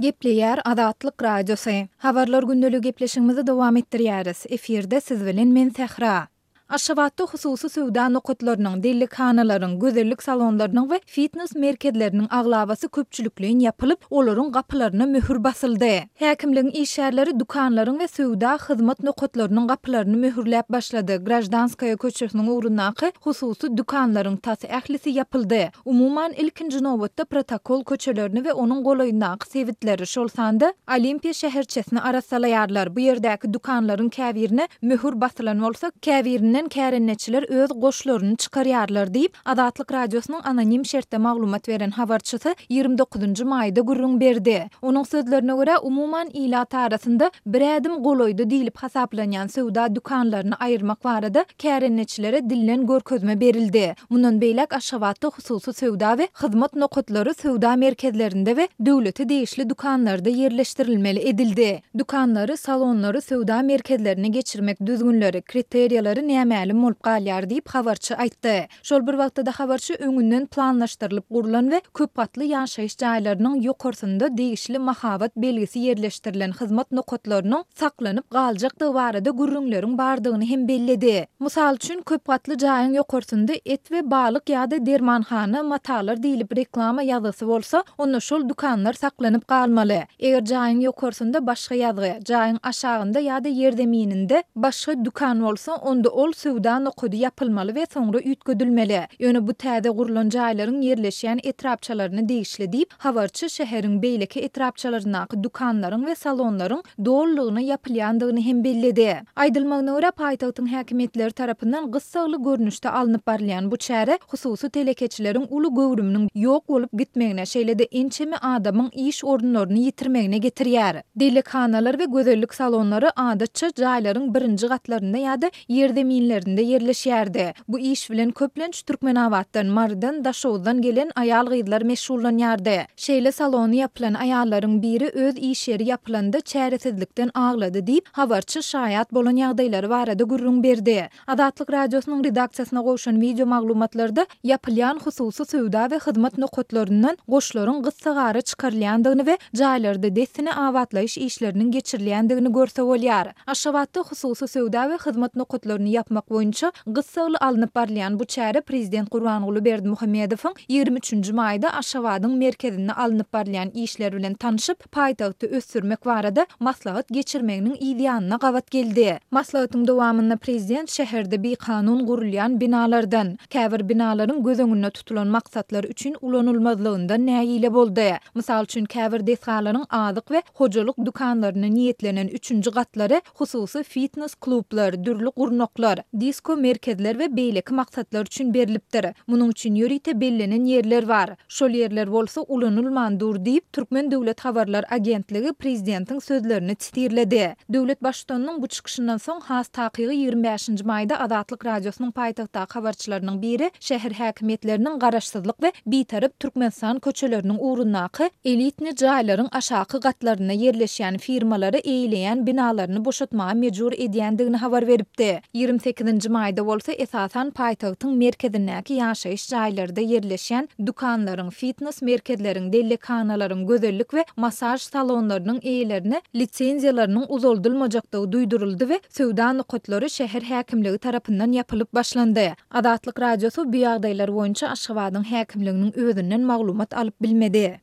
Gepleýär Azatlyk Radiosy. Habarlar gündeligi gepleşigimizi dowam etdirýäris. Efirde siz bilen men Sähra. Aşgabatda hususy söwda nokatlarynyň, dellekhanalaryň, gözellik salonlarynyň we fitnes merkezleriniň aglabasy köpçülikleýin ýapylyp, olaryň gapylaryna möhür basyldy. Häkimligiň işgärleri dükanlaryň we söwda hyzmat nokatlarynyň gapylaryny möhürläp başlady, Graždanskaýa köçesiniň ugrundaky hususy dükanlaryň tas ählisi ýapyldy. Umuman, ilkinji nobatda protokol köçelerini we onuň golaýyndaky sebitleri, şol sanda Olimpiýa şäherçesini arassalaýarlar. Bu ýerdäki dükanlaryň käbirine möhür basylan bolsa, käbirinden kärendeçiler öz goşlaryny çykarýarlar diýip, Azatlyk Radiosynyň anonim şertde maglumat beren habarçysy 29-njy maýda gürrüň berdi. Onuň sözlerine görä, umuman, ilat arasynda bir ädim golaýda diýlip hasaplanýan söwda dükanlaryny aýyrmak barada kärendeçilere dilden görkezme berildi. Mundan beýläk Aşgabatda hususy söwda we hyzmat nokatlary söwda merkezlerinde we döwlete degişli dükanlarda ýerleşdirilmeli edildi. Dükanlary, salonlary söwda merkezlerine geçirmek düzgünleri, kriteriýalary nämälim bolup galýar diýip, habarçy aýtdy. Şol bir wagtda-da habarçy öňünden planlaşdyrylyp gurlan we köp gatly ýaşaýyş jaýlarynyň ýokarsynda degişli mahabat belgisi ýerleşdirilen hyzmat nokatlarynyň saklanyp galjakdygy barada gürrüňleriň bardygyny hem belledi. Mysal üçin, köp gatly jaýyň ýokarsynda et we balyk ýa-da dermanhana, matalar diýlip reklama ýazgysy bolsa, onda şol dükanlar saklanyp galmaly. Eger jaýyň ýokarsynda başga ýazgy, jaýyň aşagynda ýa-da ýerzemininde başga dükan bolsa, onda ol söwda nokady ýapylmaly we soňra üýtgedilmeli. Ýöne bu täze gurlan jaýlaryň ýerleşýän etrapçalaryna degişli diýip, habarçy şäheriň beýleki etrapçalaryndaky dükanlaryň we salonlaryň dolulygyna ýapylýandygyny hem belledi. Aýdylmagyna görä, paýtagtyň häkimiýetleri tarapyndan gyssagly görnüşde alnyp barylýan bu çäre hususy telekeçileriň uly göwrüminiň ýok bolup gitmegine, şeýle-de ençeme adamyň iş orunlaryny ýitirmegine getirýär. Dellekhanalar we gözellik salonlary adatça jaýlaryň birinji gatlarynda ýa-da ýerzeminlerinde ýerleşýärdi. Bu iş bilen köplenç Türkmenabatdan, Marydan, Daşoguzdan gelen aýal-gyzlar meşgullanýardy. Şeýle salony ýapylan aýallaryň biri öz iş ýeri ýapylanda çäresizlikden aglady diýip, habarçy şaýat bolan ýagdaýlary barada gürrüň berdi. Azatlyk Radiosynyň redaksiýasyna gowşan wideo maglumatlarda ýapylýan hususy söwda we hyzmat nokatlaryndan goşlaryň gyssagara çykarylýandygyny we jaýlarda dessine abatlaýyş işleriniň geçirilýändigini görse bolýar. Aşgabatda hususy söwda we hyzmat nokatlaryny ýapmak boýunça gyssagly alnyp barylýan bu çäre prezident Gurbanguly Berdimuhamedowyň 23 nji maýda Aşgabadyň merkezinde alnyp barylýan işler bilen tanşyp, paýtagty ösdürmek barada maslahat geçirmeginiň yz ýanyna gabat geldi. Maslahatyň dowamynda prezident şäherde bikanun gurulýan binalardan, käbir binalaryň göz öňünde tutulan maksatlar üçin ulanylmazlygyndan nägile boldy. Mysal üçin, käbir desgalaryň azyk we hojalyk dükanlaryna niýetlenen üçünji gatlary hususy fitnes-klublar, dürli gurnaklar, disko-merkezler we beýleki maksatlar üçin berlipdir. Munuň üçin ýörite bellenen ýerler bar. Şol ýerler bolsa ulanylman dur diýip, Türkmen döwlet habarlar agentligi prezidentiň sözlerini sitirledi. Döwlet Baştutanynyň bu çykyşyndan soň, has takygy 25-nji maýda Azatlyk Radiosynyň paýtagtdaky habarçylarynyň biri şäher häkimiýetleriniň Garaşsyzlyk we Bitarap Türkmenistan köçeleriniň ugrundaky elitni jaýlaryň aşaky gatlarynda ýerleşýän firmalary eýeleýän binalaryny boşatmaga mejbur edýändigini habar beripdi. 28-nji maýda bolsa esasan paýtagtyň merkezindäki ýaşaýyş jaýlarda ýerleşýän dükanlaryň, fitnes merkezleriň, dellekhanalaryň, gözellik we massaž salonlarynyň eýelerine lisenziýalarynyň uzaldylmajakdygy duýduryldy we söwda nokatlary şäher häkimligi tarapyndan ýapylyp başlandy. Azatlyk Radiosy bu ýagdaýlar boýunça Aşgabadyň häkimliginiň özünden maglumat alyp bilmedi.